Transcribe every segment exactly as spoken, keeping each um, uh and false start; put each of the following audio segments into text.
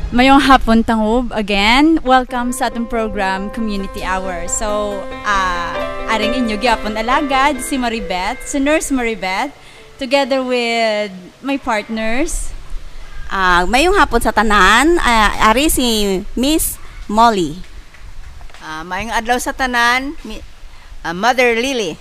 Mayong hapon, Tangub. Again, welcome sa atong program, Community Hour. So, ah, aring inyo gyapon alagad, si Maribeth, si Nurse Maribeth, together with my partners. Ah, mayong hapon sa tanan. Ah, ari si Miss Molly. Ah, maayong adlaw sa tanan, mi, ah, Mother Lily.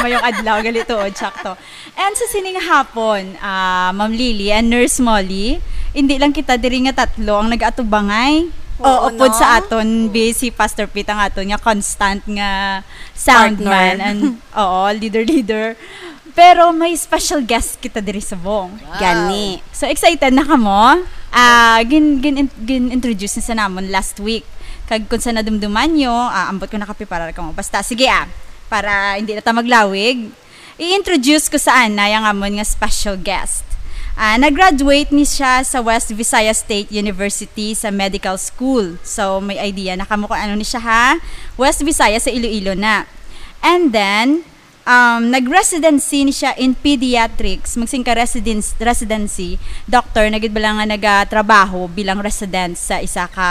Mayong adlaw, gali tuod, sakto. And sa sining hapon, ah, Ma'am Lily and Nurse Molly, hindi lang kita diri nga tatlo ang nag-atubangay. Oo, O, upod no? sa aton, busy Pastor Pete ang aton nga constant nga sound Partner. man and, oo, leader-leader. Pero may special guest kita diri subong. Gani. So excited na kamo? Ah, gin, gin, gin-introduce na sa namon last week. Kag kung sa nadumduman nyo, ah, ambot ko nakapiparar kamo. Basta, sige ah, para hindi na ta maglawig, i-introduce ko sa ana yang amon nga special guest. Ah, nag-graduate ni siya sa West Visayas State University sa medical school. So, may idea na kamo kung ano ni siya, ha? West Visayas sa Iloilo na. And then, um, nag-residency ni siya in pediatrics. Magsing ka residence, residency, doctor, na gid bala nga nagatrabaho bilang resident sa isa ka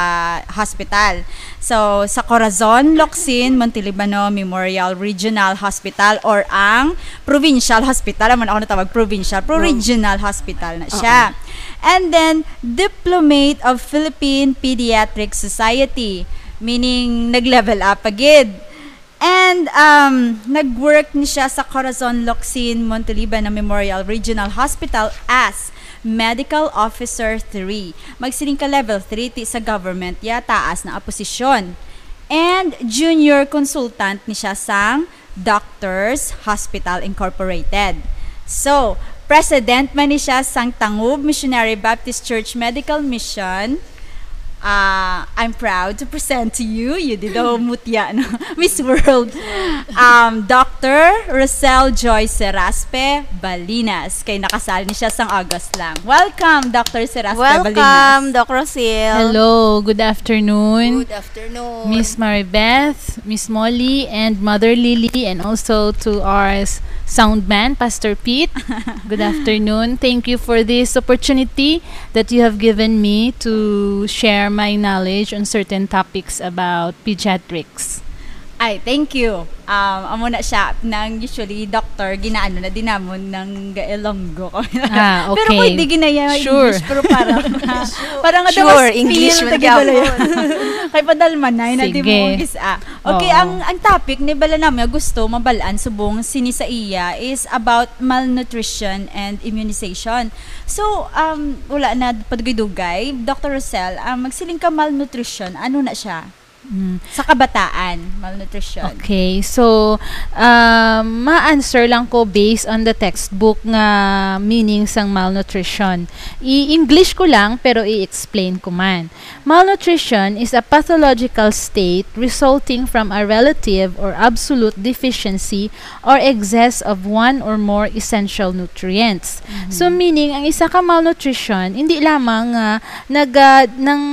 hospital. So, sa Corazon, Locsin, Montelibano Memorial Regional Hospital, or ang Provincial Hospital. Amo na ako natawag provincial, pero regional hospital na siya. And then, Diplomate of Philippine Pediatric Society, meaning nag-level up pa gid. And, um, nag-work ni siya sa Corazon Locsin Montelibano Memorial Regional Hospital as Medical Officer three. Magsiling ka level three ti sa government, ya taas na posisyon. And junior consultant ni siya sang Doctors Hospital Incorporated. So, president man ni siya sang Tangub Missionary Baptist Church Medical Mission. Ah, I'm proud to present to you, you did daw mutya, no? Miss World, um, Doctor Rosel Joy Seraspe Balinas. Kay nakasal ni siya sang August lang. Welcome, Doctor Seraspe Balinas. Welcome, Doc Rosil. Hello, good afternoon, Good afternoon. Miss Maribeth, Miss Molly, and Mother Lily, and also to our s- sound man, Pastor Pete. Good afternoon. Thank you for this opportunity that you have given me to share my knowledge on certain topics about pediatrics. Ay, thank you. Um, amo na siya, nang usually doctor, ginaano na din namon ng Ilonggo. Ah, Pero okay. Pwede ginaya Sure. English, pero parang, parang nga Sure, daw mas English feel man na gyapon. gid. Kay padalmanay na di Sige. mo gis-, ah. Okay, Oo. ang, ang topic ni bala namin nga gusto mabalaan subong sini sa iya is about malnutrition and immunization. So, um, wala na padugay-dugay. Doctor Rosel, um, magsiling ka malnutrition, ano na siya? Mm. Sa kabataan, malnutrition. Okay, so um, ma-answer lang ko based on the textbook nga meaning sang malnutrition. I-English ko lang pero i-explain ko man. Malnutrition is a pathological state resulting from a relative or absolute deficiency or excess of one or more essential nutrients. So meaning ang isa ka malnutrition hindi lamang nga naga nang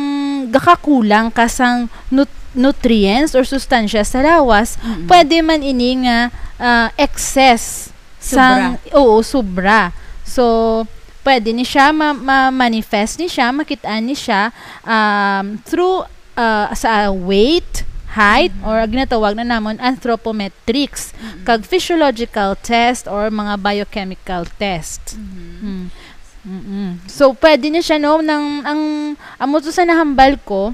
gakakulang ka sang nut- nutrients or sustansya sa lawas, pwede man ini nga ah, excess sang, oo, sobra. So pwede ni siya ma- ma-manifest ni siya, makit-an ni siya um, through ah, sa weight, height, or ginatawag na namon anthropometrics, kag physiological test or mga biochemical test. Mm. Mm-mm. So pwede ni siya, no, nang ang amo to sa nahambal ko,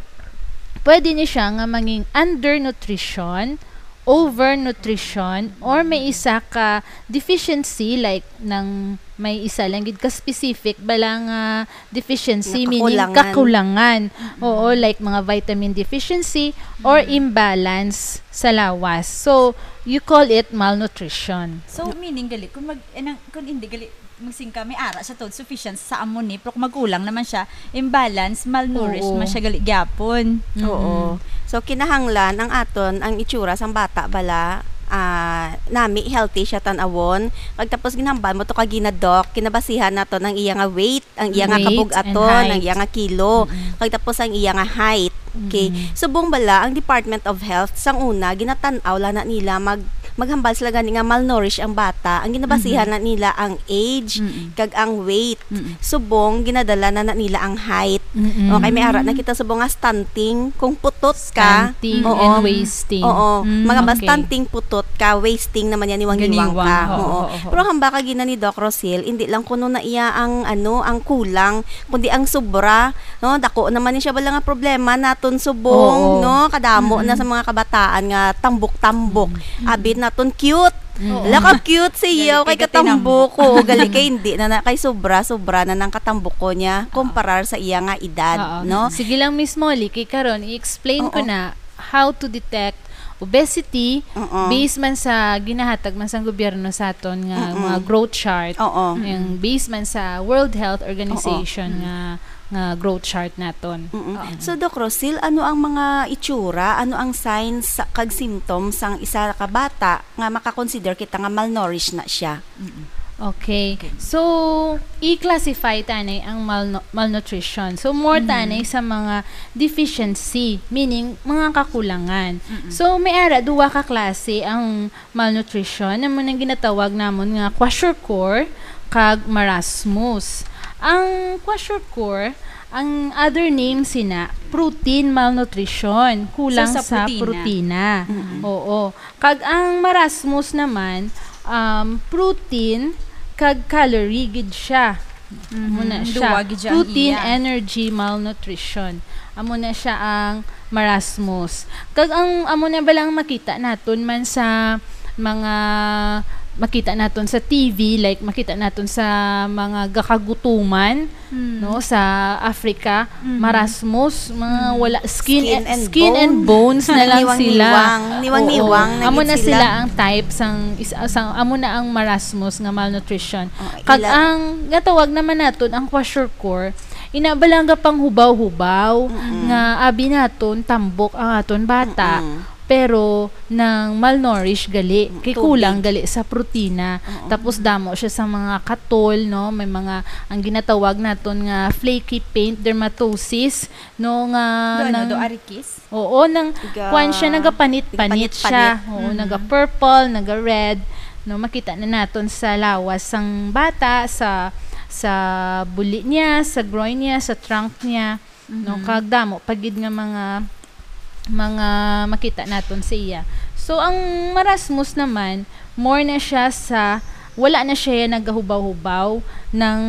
pwede ni siya nga manging undernutrition, overnutrition, or may isa ka deficiency, like nang may isa lang gid ka specific bala nga deficiency, Nga meaning kakulangan. Kakulangan. Oo, like mga vitamin deficiency or imbalance sa lawas. So you call it malnutrition. So, meaning gali, kung mag, eh, nang, kung hindi gali, magsing ka, may ara siya to, sufficient sa amo ni, pero kung magkulang naman siya, imbalance, malnourished Oo. man siya gali gyapon. Oo. So kinahanglan ang aton ang itsura sang bata bala, ah, nami healthy siya tan-awon. Kag tapos ginhambal mo to kagina, Doc, kinabasihan naton ang iya nga weight, ang iya nga Weight kabug-aton, and height. Ang iya nga kilo, kag tapos ang iya nga height. Okay. Subong bala ang Department of Health sang una ginatan-aw lang na nila mag maghambal sila gani nga malnourished ang bata, ang ginabasihan Mhm. na nila ang age Mm-mm. kag ang weight. Mm-mm. Subong ginadala na, na nila ang height. Mm-mm. Okay, may ara na kita subong nga stunting kung putot ka. Stunting Oo. and wasting. Oo. Mm, Mga ba okay. stunting putot ka, wasting naman yan, niwang-niwang Ganiwang. ka. Oo, Oo. oo, oo. Pero hambal ka gina ni Doc Rosil, hindi lang kuno na iya ang, ano, ang kulang, kundi ang sobra, no? Dako naman ni siya bala nga problema naton subong, Oo. no? Kadamo na Mm-mm. sa mga kabataan nga tambok-tambok. Mm-mm. Abi naton cute. Mm-mm. Hala ka cute sa iya, Gali kay kay katambok. katambok. Oo, gali kay hindi na, na kay sobra, sobra na nang katambok ko niya, Oo. kumparar sa iya nga edad, Oo. no? Sige lang, Miss Molly, kay karon i-explain ko Oo. na how to detect obesity Oo. based man sa ginahatag man sang gobyerno sa aton nga Mm-mm. mga growth chart. Oo. Yung based man sa World Health Organization Oo. Mm. nga, nga growth chart naton. Mm-mm. Oo. So, Doc Rosil, ano ang mga itsura, ano ang signs sa, kag symptoms sang isa ka bata nga makakonsider kita nga malnourished na siya? Mm-mm. Okay. Okay. So, i-classify tanay ang malnu-, malnutrition. So, more Mhm. tanay sa mga deficiency, meaning mga kakulangan. Mm-mm. So, may ara duwa ka klase ang malnutrition, amo nang ginatawag namon nga kwashiorkor kag marasmus. Ang kwashiorkor, ang other name sina, protein malnutrition, kulang So, sa sa protina. protina. Mm-mm. Oo. Kag ang marasmus naman, um, protein kag calorie gid siya. Mhm. Amo na siya. Duwa gid siya ang Protein, iya. energy, malnutrition. Amo na siya ang marasmus. Kag ang, amo na bala ang makita naton man sa mga, makita naton sa T V, like, makita naton sa mga gakagutuman, Hmm. no, sa Africa, Mhm. marasmus, mga Mhm. wala, skin Skin and, and skin and bone. bones na lang sila. Niwang-niwang. Niwang-niwang Oo. na Amo gid na sila. sila ang type sang is-, sang, amo na ang marasmus nga malnutrition. Oh, Kag ila- ang gatawag naman naton ang kwashiorkor, ina bala nga panghubaw-hubaw Mm-mm. nga abi naton tambok ang aton bata, Mm-mm. pero nang malnourished gali, Mm, kay tubig. kulang gali sa protina. Oo. Tapos damo siya sa mga katol, no? May mga, ang ginatawag naton nga flaky paint dermatosis, no? Nga Do ano, nang do arikis? Oo, nang Iga-, kuwan siya, nagapanit-panit siya. iga-panit-panit. Oo, Mm. naga-purple, naga-red. No, makita na naton sa lawas sang bata, sa, sa buli niya, sa groin niya, sa trunk niya. No, Mhm. kag damo pa gid nga mga, mga makita naton sa iya. So, ang marasmus naman, more na siya sa, wala na siya nagahubaw-hubaw, nang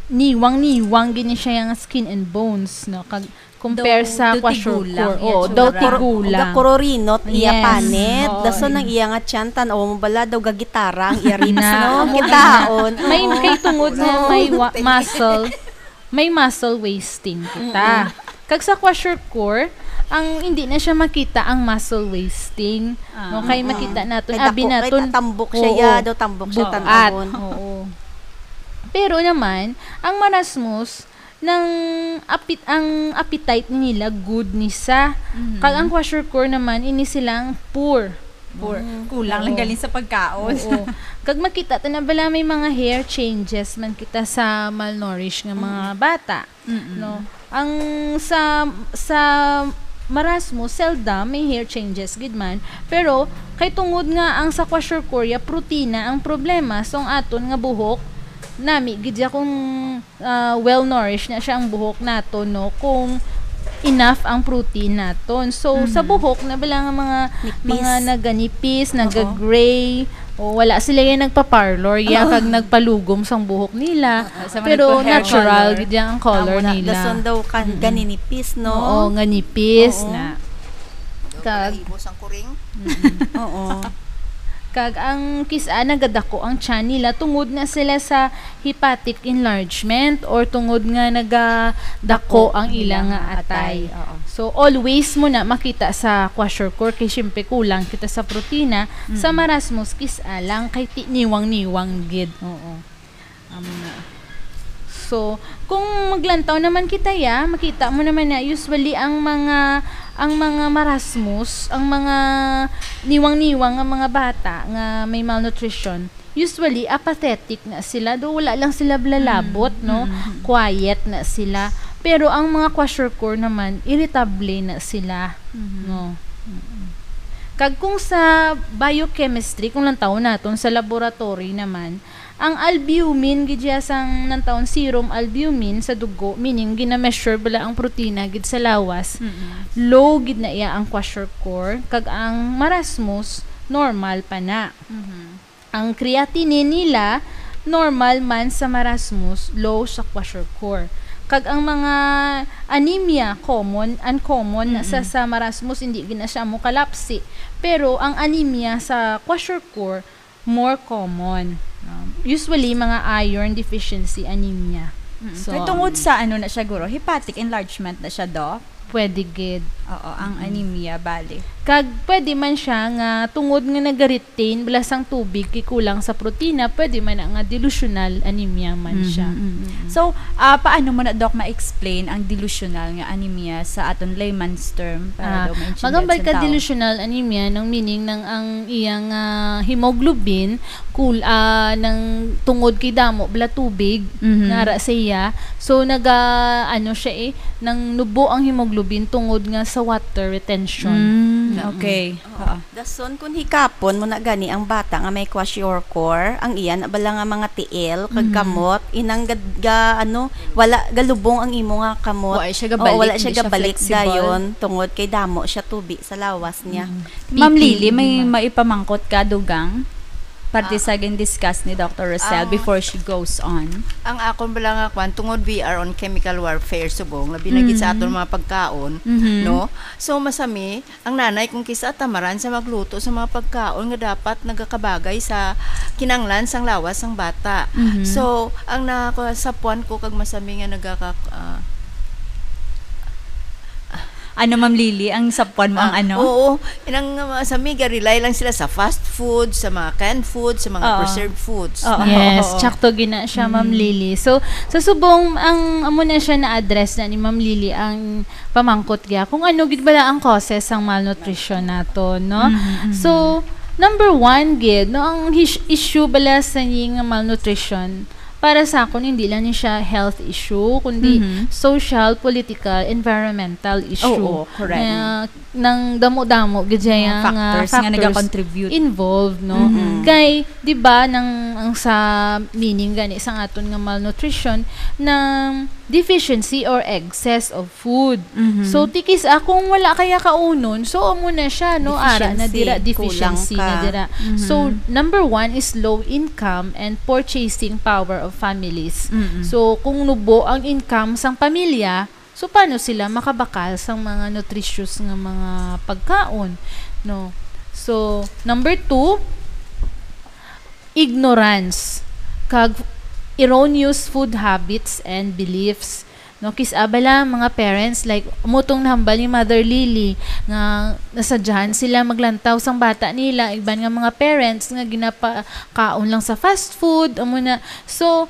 niwang-niwang gid ni siya nga skin and bones, no? Kag compare Daw, sa daw kwashiorkor. tigulang iya Oo, tsura. daw Kuro-, tigulang. Gakurorinot iya Yes. panit. Oo, Dason ang iya. iya nga tiyan, tan-aw mo bala, daw gagitara ang iya ribs, Na, no? amo Kitaon. na. May, Oo. kay tungod nga Oo. may wa-, muscle, may muscle wasting kita. Mm-mm. Kag sa kwashiorkor, ang hindi na siya makita ang muscle wasting. Ah. No, kay Mm-mm. makita naton, Kay abi dako, kay naton. tambok siya, Oo. ya, daw tambok siya Bukat. tan-awon. Oo. Pero naman, ang marasmus, nang apit-, ang appetite nila good ni sa. Mhm. Kag ang kwashiorkor naman, ini silang poor. Poor. Mm. Kulang lang Oo. galing sa pagkaon. Oo. Kag makita ta na bala may mga hair changes man kita sa malnourished nga mga Mm. bata, Mm-mm. no? Ang sa, sa marasmus, seldom may hair changes gid man. Pero kay tungod nga ang sa kwashiorkor ya protina ang problema, so ang aton nga buhok, nami gid ya kung ah, well-nourished na siya ang buhok naton, no, kung enough ang protein naton. So, sa Mhm. buhok na bala nga mga, Nipis. mga naganipis, Oo. naga-gray, o wala sila yan nagpa-parlor, ya, Oo. kag nagpalugom sang buhok nila. Oo, sa mga Pero nagpa-hair natural color. gid yan ang color Amo na, nila. dason daw kan-, Mm-mm. ganinipis, no? Oo, nga nipis Oo. na. Kag Balahibo sang kuring. Mm-mm. Oo. Kag ang kis-a nagadako ang tiyan nila tungod na sila sa hepatic enlargement or tungod nga nagadako Dako ang ila nila nga nga atay. atay, oo. So, always mo na makita sa kwashiorkor kay siyempre kulang kita sa protina. Sa Mm. marasmus, kis-a lang kay ti-, niwang-niwang gid. Oo. Amo na. So, kung maglantaw naman kita, ya, makita mo naman na usually ang mga, ang mga marasmus, ang mga niwang-niwang nga mga bata nga may malnutrition, usually apathetic na sila. Do, wala lang sila blalabot, Mm. no? Mm. Quiet na sila. Pero ang mga kwashiorkor naman, irritable na sila, Mm. no? Mm. Kag kung sa biochemistry, kung lantawon naton sa laboratory naman, ang albumin, gid siya sang lantawon serum albumin sa dugo, meaning gina-measure bala ang protina gid sa lawas, Mm-mm. low gid na iya ang kwashiorkor, kag ang marasmus, normal pa na. Mhm. Ang creatinine nila, normal man sa marasmus, low sa kwashiorkor. Kag ang mga anemia, common, uncommon na sa, Mm-mm. sa marasmus, hindi gid na siya mokalapsi. Pero ang anemia sa kwashiorkor, more common. Um, usually, mga iron deficiency anemia. Mm. So, Kay tungod um, sa ano na siya, guro, hepatic enlargement na siya, Doc? Pwede gid. Oo, ang Mm. anemia, bali. Kag pwede man siya nga tungod nga nagaretain bala sang tubig kay kulang sa protina, pwede man na nga delusional anemia man Mhm, siya. mhm. Mm. So, ah, paano mo na, Doc, ma-explain ang delusional nga anemia sa aton layman's term para Ah, daw maintindihan magambal sa ka tao? Delusional anemia, nang meaning nang ang iyang, ah, hemoglobin kul-, ah, nang tungod kay damo bala tubig Mhm. nga ara sa iya. So, naga-, ano siya eh, nang nubo ang hemoglobin tungod nga sa water retention. Mm, Mm-mm. okay. Oo. Oo. Dason, kung hikapon mo na gani ang bata nga may kwashiorkor, ang iya na bala nga mga tiil, kag Mm. kamot, inang gad-, ga-, ano, wala galubong ang imo nga kamot. Wa siya Oo, gabalik, wala siya hindi siya gabalik flexible. dayon, tungod kay damo siya tubi sa lawas niya. Mm. Ma'am P P E Lily, may man. maipamangkot ka, dugang? Parte Ah. sa gin-discuss ni Doctor Rosel Ang before she goes on. Ang akon bala nga kwan, tungod we are on chemical warfare subong, labi na gid sa Mm. aton mga pagkaon, Mhm. no? So, masami, ang nanay kung kis-a tamaran sa magluto sa mga pagkaon nga dapat nagakabagay sa kinanglan sang lawas sang bata. Mhm. So, ang na-, sa puwan ko kag masami nga nagaka-, ah, Ano, Ma'am Lily, ang sapwan mo ang Ah, ano? oo. Inang, uh, sa miga, rely lang sila sa fast food, sa mga canned food, sa mga Oo. preserved foods. Oo, Yes, oo, oo. tsakto gina siya, Ma'am Mm. Lily. So, sa subong, ang amo na siya na-address na ni Ma'am Lily ang pamangkot niya kung ano gid bala ang causes sang malnutrition nato, no? Mm, mm. So, number one gid, no, ang his-, issue bala sa ni nga malnutrition, para sa akon, hindi lang ni siya health issue, kundi Mhm. social, political, environmental issue. Oo, correct. Nga nang damo-damo gid siya Mga nga factors nga factors nagakontribute. involved, no? Mm-mm. Kay, di ba, nang, ang sa meaning gani sa aton nga malnutrition, nang deficiency or excess of food. Mhm. So, ti kis-a kung wala kaya kaunon, so, amo na siya, no? Ara na Deficiency. dira, Kulang deficiency na ka. dira. Mhm. So, number one is low income and purchasing power of families. Mm-mm. So, kung nubo ang income sang pamilya, so, paano sila makabakal sang mga nutritious nga mga pagkaon, no? So, number two, ignorance kag erroneous food habits and beliefs. No, kis-a bala mga parents, like, amo tong nahambal ni Mother Lily, nga nasadyahan sila maglantaw sang bata nila, iban nga mga parents nga ginapakaon lang sa fast food, amo na. So,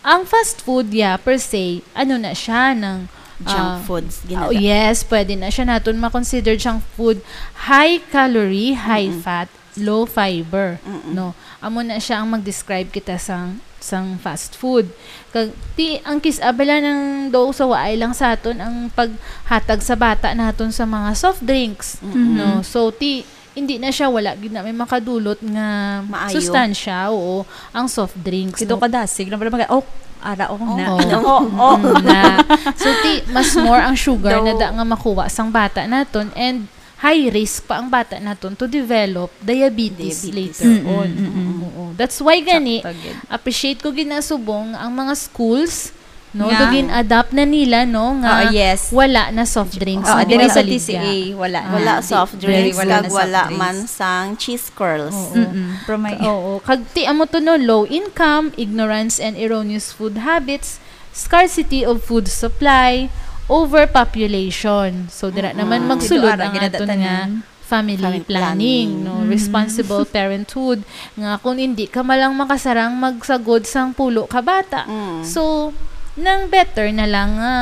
ang fast food, yeah, per se, ano na siya, nang, Junk ah, foods, oh, ginada- yes, pwede na siya naton ma-consider junk food, high calorie, high Mm-mm. fat, low fiber, Mm-mm. no? Amo na siya ang mag-describe kita sang, sang fast food. Kag, ti, ang kis-a bala nang daw sa waay lang sa aton ang paghatag sa bata naton sa mga soft drinks, Mm-mm. no? So, ti, hindi na siya, wala gid na may makadulot nga Maayo. sustansya, oo, ang soft drinks, Kito no? kadasig na pala mag-, oh, ara, oh, na. Oo. Oh, oh. Mm, na. So, ti, mas more ang sugar na Daw. da nga makuha sang bata naton, and high risk pa ang bata naton to develop diabetes Diabetes. later Mm, on. mm, mm. Oo. That's why gani, Sakto gid. appreciate ko gid na subong ang mga schools, no, Nga. do gin-adapt na nila, no, nga Oo, yes. wala na soft drinks Oo, na diri sa ginabaligya. T C A, wala na. Wala Di-, soft very drinks, wala kag na soft wala drinks. man sang cheese curls. Oo. Mm-mm. Pero may Ka-, oo. Kag ti amo to, no, low income, ignorance and erroneous food habits, scarcity of food supply, overpopulation. So, dira Mm-mm. naman magsulod Dito, ara, ang aton ginadatanan. nga family Family planning, planning. no? Mm. Responsible parenthood. Nga kung hindi ka malang makasarang magsagod sang pulo ka bata, Mm. so, nang better na lang nga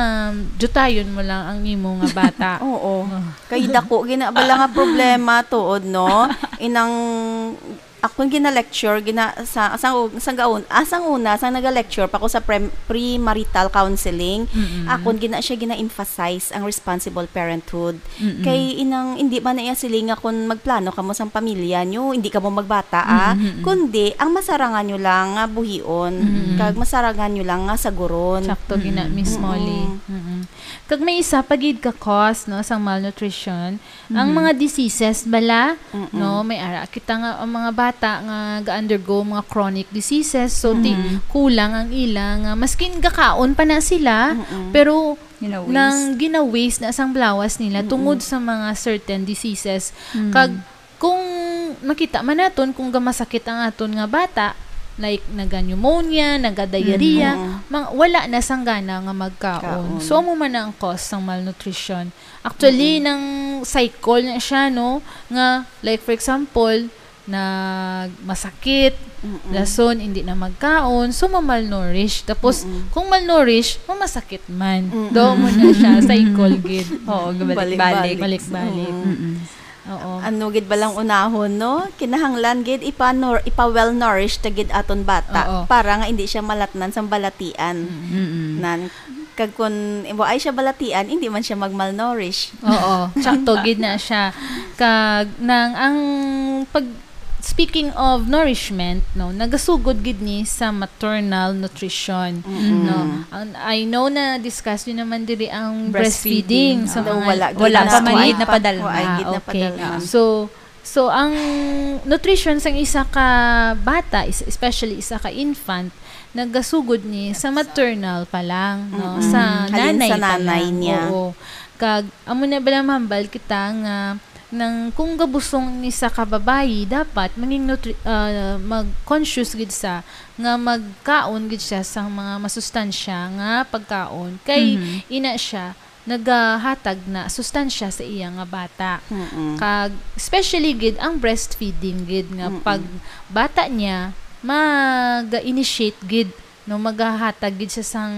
dutayon mo lang ang imo nga bata. Oo. Oh. Kay dako gina bala nga problema tuod, no? Inang Akon gina-lecture, gina-, sa, sa, sa gaon, ah, sang una, sang naga-lecture pa ko sa prem-, premarital counseling, Mm-mm. akon gina siya gina-emphasize ang responsible parenthood. Mm-mm. Kay inang, hindi man na iya siling nga kung magplano kamo sang pamilya nyo, hindi kamo magbata, ah. Mm-mm. Kundi, ang masarangan nyo lang nga buhion, Mm-mm. kag masarangan nyo lang nga saguron. Sakto gina, Mm-mm. Miss Mm-mm. Molly. Mm-mm. Kag may isa pa gid ka cause, no, sang malnutrition, ang Mhm. mga diseases bala, Mm-mm. no, may ara kita nga ang mga bata nga ga-undergo mga chronic diseases, so ti Mhm. kulang ang ila nga maskin gakaon pa na sila, Mm-mm. pero Gina-waste. nang gina-waste na sang blawas nila Mm-mm. tungod sa mga certain diseases. Mm. Kag kung makita man naton kung gamasakit ang aton nga bata, like naga-pneumonia, naga-diarrhea, Mm-mm. mang, wala na sang gana nga magkaon. Kaon. So, amo man na ang cause sang malnutrition. Actually, Mm-mm. nang cycle na siya, no? Nga, like, for example, nag masakit, Mm-mm. dason hindi na magkaon, so mamalnourish. Tapos, Mm-mm. kung malnourish, mamasakit man. Mm-mm. Daw mo na siya, cycle gid. Oo, gabalik-balik. Balik-balik. Balik-balik. Mm-mm. Mm-mm. Oo. Ano gid balang unahon, no? Kinahanglan gid ipa-nor-, ipa-well-nourished ta gid aton bata Oo. para nga hindi siya malatnan sang balatian. Mm. Mm-mm. Nan, kag kun waay siya balatian, hindi man siya mag-malnourish. Oo, sakto gid na siya. Kag nang ang pag speaking of nourishment, no, nagasugod gid ni sa maternal nutrition, Mm-mm. no. Ang, I know na discuss niyo naman diri ang Breastfeeding. breastfeeding, sa Oo. mga Wala gid Wala na- pa man gid Ah, napadalma. Waay gid Ah, okay. napadalma. So, so ang nutrition sang isa ka bata, is, especially isa ka infant, nagasugod ni sa maternal pa lang, no, Mm-mm. sa Halin nanay sa pa nanay lang. Niya. Oo. Kag amo na bala mahambal kita nga nang kung gabusong ni sa ka babayi, dapat manging nutri-, ah, mag-conscious gid sa nga magkaon gid siya sang mga masustansya nga pagkaon kay Mhm. ina siya nagahatag na sustansya sa iya nga bata. Mm-mm. Kag especially gid ang breastfeeding gid nga Mm-mm. pag bata niya mag-initiate gid, no, magahatag gid siya sang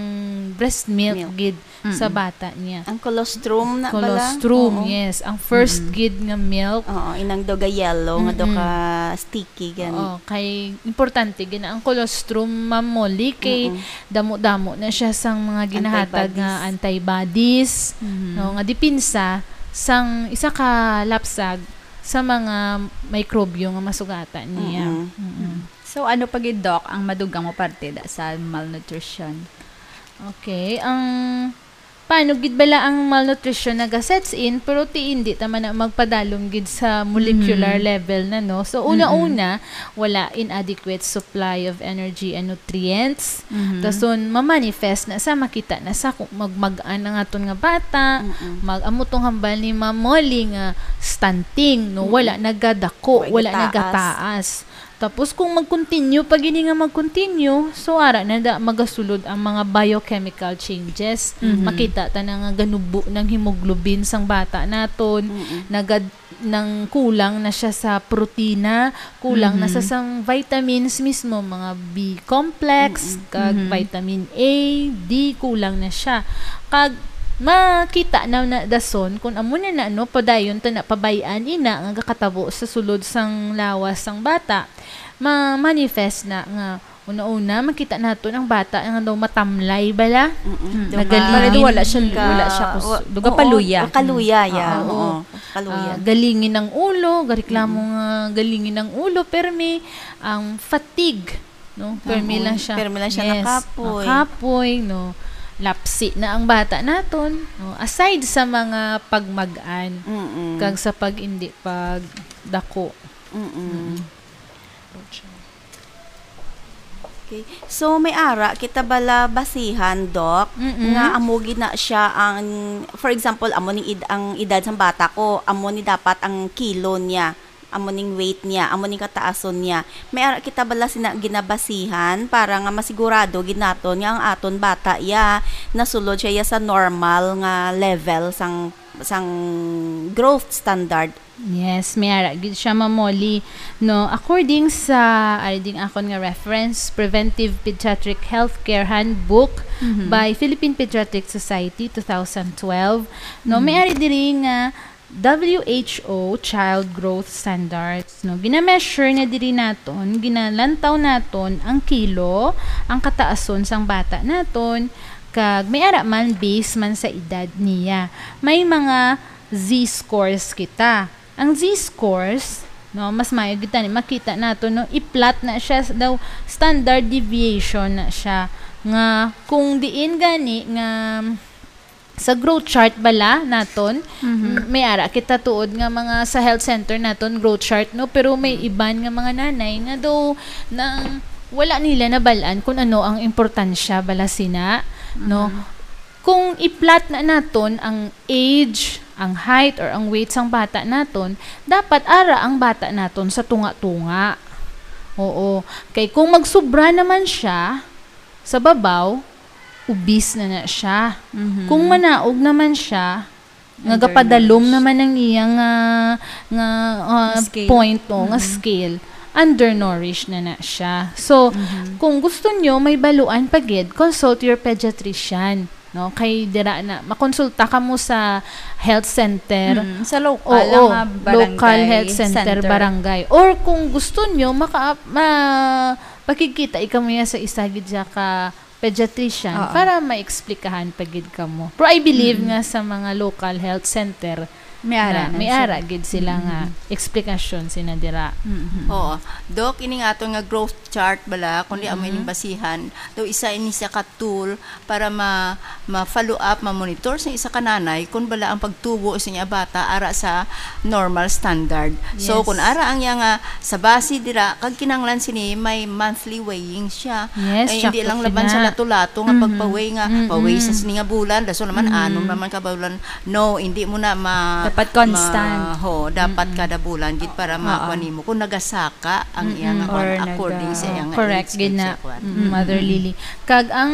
breast milk Milk. Gid sa Mm-mm. bata niya. Ang colostrum na bala? Colostrum, Oo. Yes. Ang first Mm-mm. gid nga milk. Oo, inang daw ga-yellow, nga daw Mm-mm. ka sticky, gani. Oo, kay importante gid na ang colostrum, Ma'am Molly, kay Mm-mm. damo-damo na siya sang mga ginahatag nga antibodies, Mhm. no, nga depensa sang isa ka lapsag sa mga mikrobyo nga masugatan niya. Mm-mm. Mm-mm. So, ano pa gid, Doc, ang madugang mo parte da sa malnutrition? Okay, ang paano gid bala ang malnutrition naga-sets in, pero ti hindi ta man na magpadalom gid sa molecular Mhm. level na, no? So, una-una, wala inadequate supply of energy and nutrients. Mhm. Dason, mamanifest na sa makita na sa kung magmag-an ang aton nga bata, Mm-mm. mag-, amo tong hambal ni Ma'am Molly nga stunting, no? Mm-mm. Wala nagadako, Wala wala gataas. nagataas. Tapos kung mag-continue pa gini nga mag-continue, so ara na da magasulod ang mga biochemical changes. Mhm. Makita ta na nga ganubo ng hemoglobin sang bata naton, Mm-mm. nagad nang kulang na siya sa protina, kulang na sa Mhm. sang vitamins mismo, mga B complex, Mm-mm. kag Mhm. vitamin A, D, kulang na siya. Kag makita na na dason kung amo na na, no, padayon ta na pabay-an ina nga gakatabo sa sulod sang lawas sang bata, ma-manifest na nga una-una makita naton ang bata nga daw matamlay bala. Mm-mm. Mm. Daw Nagaling. ka- Pero di wala siya, Ka- wala siya kus-, wa-, duga oo, paluya. Kaluya, ya. Ah, Oo. oo. Kaluya. Ah, galingin ang ulo, gareklamo Mm-mm. nga galingin ang ulo, permi ang fatigue, no? Permi Oo, lang siya. permi lang siya Yes, nakapoy. Nakapoy, no? Lapsi na ang bata naton, no? Aside sa mga pagmag-an, Mm-mm. kag sa pag-indi pagdako. Mm-mm. Okay. So, may ara kita bala basihan, Doc, Mm-mm. nga amo gid na siya ang, for example, amo ning id-, ang edad sang bata ko, amo ni dapat ang kilo niya, amo ning weight niya, amo ning kataason niya. May ara kita bala sina ginabasihan para nga masigurado gid naton nga ang aton bata ya nasulod siya ya sa normal nga level sang, sang growth standard. Yes, may ara gid siya, Ma'am Molly. No, according sa, ari ding akon nga reference, Preventive Pediatric Healthcare Handbook Mhm. by Philippine Pediatric Society, two thousand twelve. No, Mhm. may ari diri nga W H O child growth standards, no? Gina-measure na diri naton, ginalantaw naton ang kilo, ang kataason sang bata naton, kag may ara man base man sa edad niya. May mga Z-scores kita. Ang Z-scores, no, mas maayo gid tani makita nato, no, i-plot na siya s-, daw standard deviation na siya, nga kung diin gani nga sa growth chart bala naton, Mhm. m-, may ara kita tuod nga mga sa health center naton growth chart, no, pero may Mhm. iban nga mga nanay nga daw nang wala nila nabal-an kung ano ang importansya bala sina, no? Mhm. Kung i-plot na naton ang age, ang height, or ang weight sang bata naton, dapat ara ang bata naton sa tunga-tunga. Oo. Kay kung magsubra naman siya sa babaw, obese na na siya. Mhm. Kung manaog naman siya, nga gapadalom Undernourished. naman ang iya nga, nga, ah, Scale. point, o, nga Mm. scale, undernourished na na siya. So, Mhm. kung gusto nyo may baluan pa gid, consult your pediatrician, no? Kay dira na, makonsulta kamo sa health center. Mm, sa lokal Oo, nga barangay local health center, center. barangay. Or kung gusto nyo, maka-, ma-, pakigkita kamo ya sa isa gid siya ka pediatrician Oo. para maexplikahan pa gid kamo. Pero I believe Mm. nga sa mga local health center May ara na, na may sila. ara gid sila nga Mm. eksplikasyon sina dira. Mm. Oo. Doc, ini nga aton nga growth chart bala, kung di amo Mm. ining basihan, daw isa ini siya ka tool para ma-, ma-follow up, ma-monitor sa isa ka nanay kung bala ang pagtubo sa iya bata ara sa normal standard. So, Yes. kung ara ang iya nga sa base dira, kag kinahanglan sini may monthly weighing siya. Yes, Ay, hindi sakto lang laban sina. sa lato-lato nga Mhm. pagpa-weigh nga, Mm-mm. pa-weigh sa sini nga bulan, daso naman, Mm. anom naman ka bulan. No, hindi mo na ma-, Dapat constant. ma-, ho, dapat Mm-mm. kada bulan, gid para Oo. makuha nimo kung nagasaka ang iya nga Mm-mm. kuwan, Or according naga-, sa iya nga correct, age, gid kag na. sa kuwan. Mm, Mother Mm-mm. Lily. Kag ang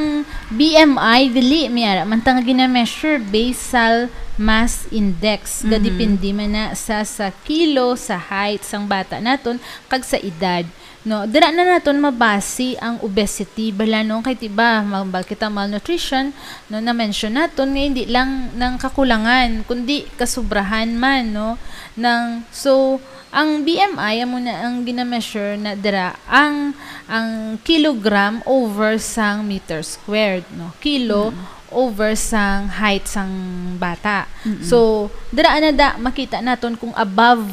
B M I, dili, may ara man ta nga gina-measure, basal mass index. Mhm. Gadepende man na sa, sa kilo, sa height sang bata naton, kag sa edad. No, dira na naton mabasi ang obesity, bala, no? Kay, diba, mabal kita malnutrition, no, na-mention naton nga hindi lang nang kakulangan, kundi kasubrahan man, no? Nang, so, ang B M I, amo na ang gina-measure na dira, ang, ang kilogram over sang meter squared, no? Kilo Mm. over sang height sang bata. Mm-mm. So, dira na da, makita naton kung above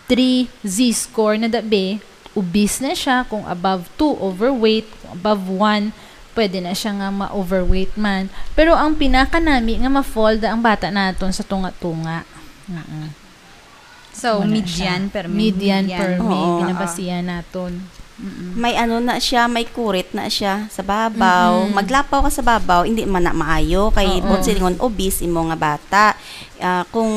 three Z-score na da, be, obese na siya, kung above two, overweight, kung above one, pwede na siya nga ma-overweight man. Pero ang pinakanami nga ma-fall da ang bata naton sa tunga-tunga. Mm-mm. So, Wala median siya. per mi-, Median median. per mi, Oo. ginabasihan naton. Mm-mm. May ano na siya, may kurit na siya sa babaw. Mm-mm. Maglapaw ka sa babaw, hindi man na maayo. Kay Oo. buot silingon, obese imo nga bata. Ah, kung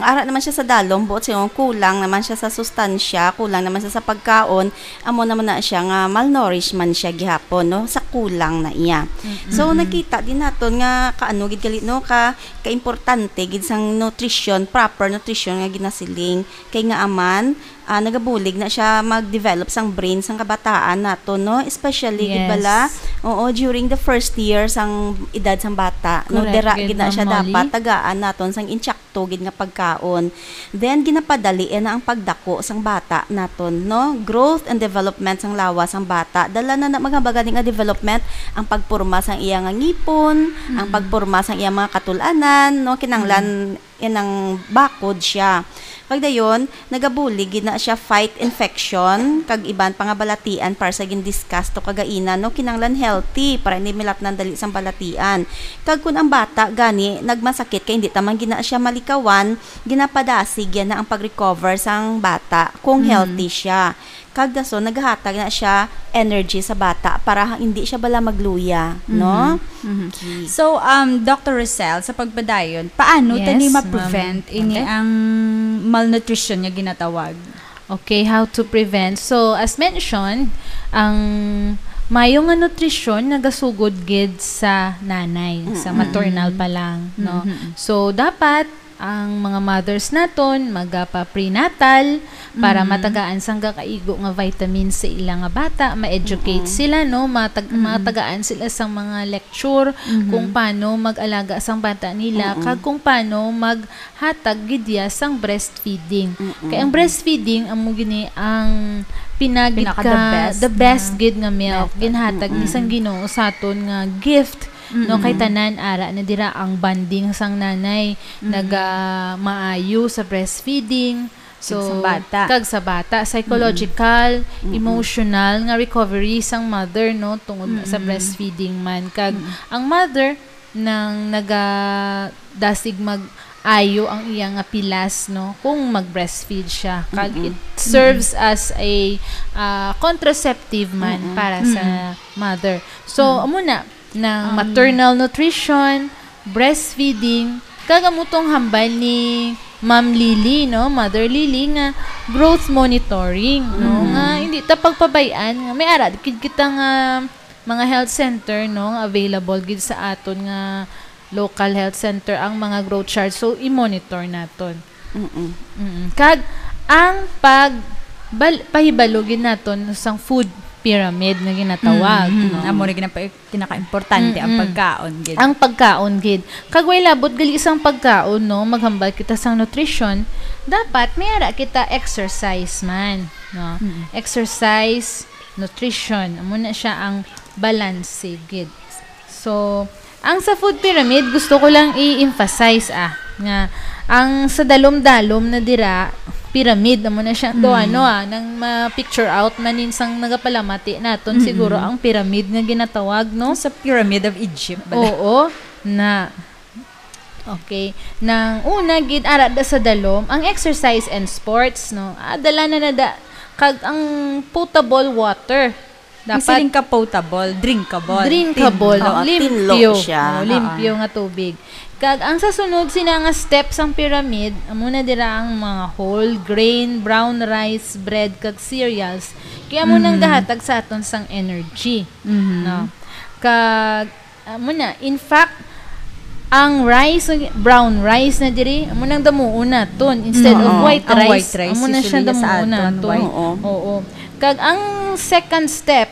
ara naman siya sa dalom, buot silingon, kulang naman siya sa sustansya, kulang naman siya sa pagkaon, amo naman na siya nga malnourished man siya gihapon, no? Sa kulang na iya. Mm-mm. So, Mm-mm. nakita din naton nga kaano gid gali, no? Ka, kaimportante gid sang nutrition, proper nutrition nga ginasiling. Kay nga aman, ah, nagabulig na siya mag-develop sang brain sang kabataan nato, no? Especially, gid Yes. bala, oo, during the first year sang edad sang bata, no? Correct, Dira gid gid na Ma'am siya Molly. dapat tagaan naton sang intsakto gid nga pagkaon. Then, ginapadali na ang pagdako sang bata naton, no? Growth and development sang lawas sang bata. Dala na, na mga bagani nga development, ang pagporma sang iya nga ngipon, ang Mm. pagporma sang iya mga katul-anan, no? Kinanglan Mm. inang bakod siya. Kag dayon, nagabulig gid na siya fight infection, kag iban pa nga balatian para sa gin-discuss to kagaina, no? Kinanglan healthy para hindi milatnan dali sang balatian. Kag kun ang bata gani nagmasakit kay hindi ta man gid na siya malikawan, ginapadasig yan na ang pag-recover sang bata kung Mm. healthy siya. Kag dason, nagahatag na siya energy sa bata para hindi siya bala magluya, no? Mhm. Mhm. Okay. So, um, Doctor Rosel, sa pagpadayon, paano Yes, tani ma'am. ma-prevent ini Okay. ang malnutrition nga ginatawag? Okay, how to prevent? So, as mentioned, ang mayo nga nutrisyon nagasugod gid sa nanay, sa Mm-mm. maternal pa lang, no? Mm-hmm. So, dapat ang mga mothers naton magapa-prenatal para Mm. matagaan sang kakaigo nga vitamins sa ila nga bata, ma-educate Mm-mm. sila, no? Matag-, Mm-mm. matagaan sila sang mga lecture Mm-hmm. kung paano mag-alaga sang bata nila, Mm-mm. kag kung paano maghatag gid iya sang breastfeeding. Mm-mm. Kay ang breastfeeding amo gini ang pinagid Pinaka the ka, best the best na gid nga milk. method. Ginhatag ni Mm-mm. sang Ginoo sa aton nga gift, no? Kay Mm-mm. tanan ara na dira ang bonding sang nanay, Mm-mm. naga maayo sa breastfeeding. Kag sa So, bata. kag sa bata, psychological, Mm-mm. emotional nga recovery sang mother, no, tungod sa Mm-mm. breastfeeding man. Kag Mm-mm. ang mother nang nagadasig mag-ayo ang iya nga pilas, no, kung mag-breastfeed siya. Kag Mm-mm. it serves as a, ah, contraceptive man Mm-mm. para sa Mm-mm. mother. So, Mm-mm. amo na, ng Um, maternal nutrition, breastfeeding, kag amo tong hambal ni Ma'am Lily, no, Mother Lily, nga growth monitoring, no, Mm-hmm. nga hindi ta pagpabay-an, nga may ara gid kita nga mga health center, no, nga available gid sa aton nga local health center ang mga growth chart. So, i-monitor naton. Mm-mm. Mm. Kag ang pag-, bal-, pahibalo gid naton sang food pyramid nga ginatawag, Mm-hmm. no? Amo na gid ang pa-, kinakaimportante, ang Mm-mm. pagkaon gid. Ang pagkaon gid. Kag way labot gali sang pagkaon, no? Maghambal kita sang nutrition, dapat may ara kita exercise man, no? Mm. Exercise, nutrition. Amo na siya ang balanse gid. So, ang sa food pyramid, gusto ko lang i-emphasize, ah, nga ang sa dalom-dalom na dira, pyramid, amo na siya, do, Mm. ano, ah, nang ma-picture out man nin sang nagapalamati naton, Mm-mm. siguro ang pyramid nga ginatawag, no? Sa Pyramid of Egypt, bala. Oo, na. Okay. Nang una gid, ara da sa dalom, ang exercise and sports, no? Ah, dala na na da, kag ang potable water. Dapat Ang siling ka potable, drinkable. Drinkable, Tinlo. Oo, limpyo. tinlo siya. Oo, Oo. limpyo nga tubig. Kag ang sa sunod sina nga step sang pyramid, amo na dira ang mga whole grain, brown rice, bread, kag cereals. Kaya amo nang Mhm. gahatag sa aton sang energy. Mhm. No? Kag, amo na, in fact, ang rice, brown rice na diri, amo nang damuon naton instead of Oo. white Ang rice. white rice, Amo na siya usually, sa damuon aton, naton. white. Oo. Oo. Kag ang second step,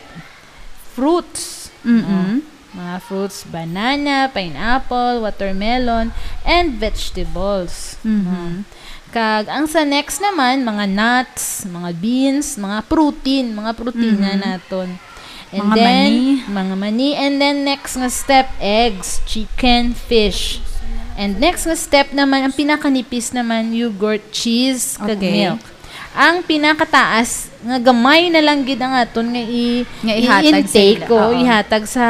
fruits. Mm-mm. No? Mga fruits, banana, pineapple, watermelon, and vegetables. Mhm. No? Kag ang sa next naman, mga nuts, mga beans, mga protein, mga protina Mhm. naton. And Mga then, mani. mga mani. And then, next nga step, eggs, chicken, fish. And next nga step naman, ang pinakanipis naman, yogurt, cheese, kag Okay. milk. Ang pinakataas nga gamay na lang gid ang aton nga i-, Nga ihatag sa i-intake, ila. o Oo. ihatag sa,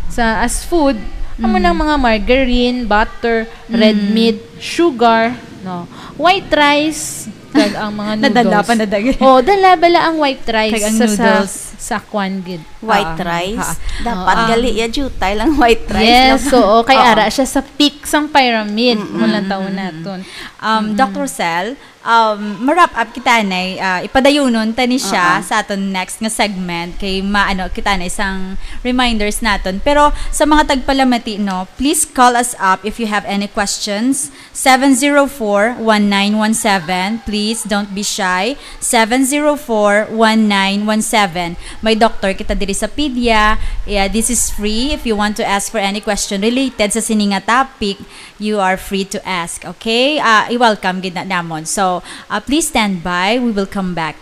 sa as food, amo Mm. nang mga margarine, butter, red Mm. meat, sugar, no? White rice, kag ang mga noodles. Nadala pa na dagi. Oh, dala bala ang white rice Kag ang sa, sa, noodles. sa kwan gid. White Ah, rice? ah. Dapat Ah. gali ya jutay lang white rice Yes, lang. oo. Kay Oo. ara siya sa peak sang pyramid, Mm-mm. mo lang taon Mm-mm. naton. Um, Mm-mm. Doctor Sel, um, ma-wrap up kita, nay, ah, ipadayunon ta ni siya Oo. sa aton next nga segment kay maano kita na isang reminders naton. Pero sa mga tagpalamati, no, please call us up if you have any questions. Seven zero four, one nine one seven. Please don't be shy. Seven zero four, one nine one seven. May doktor kita diri sa Pedia. Yeah, this is free. If you want to ask for any question related sa sini nga topic, you are free to ask. Okay? Ah, i-welcome gid na namon. So, ah, please stand by. We will come back.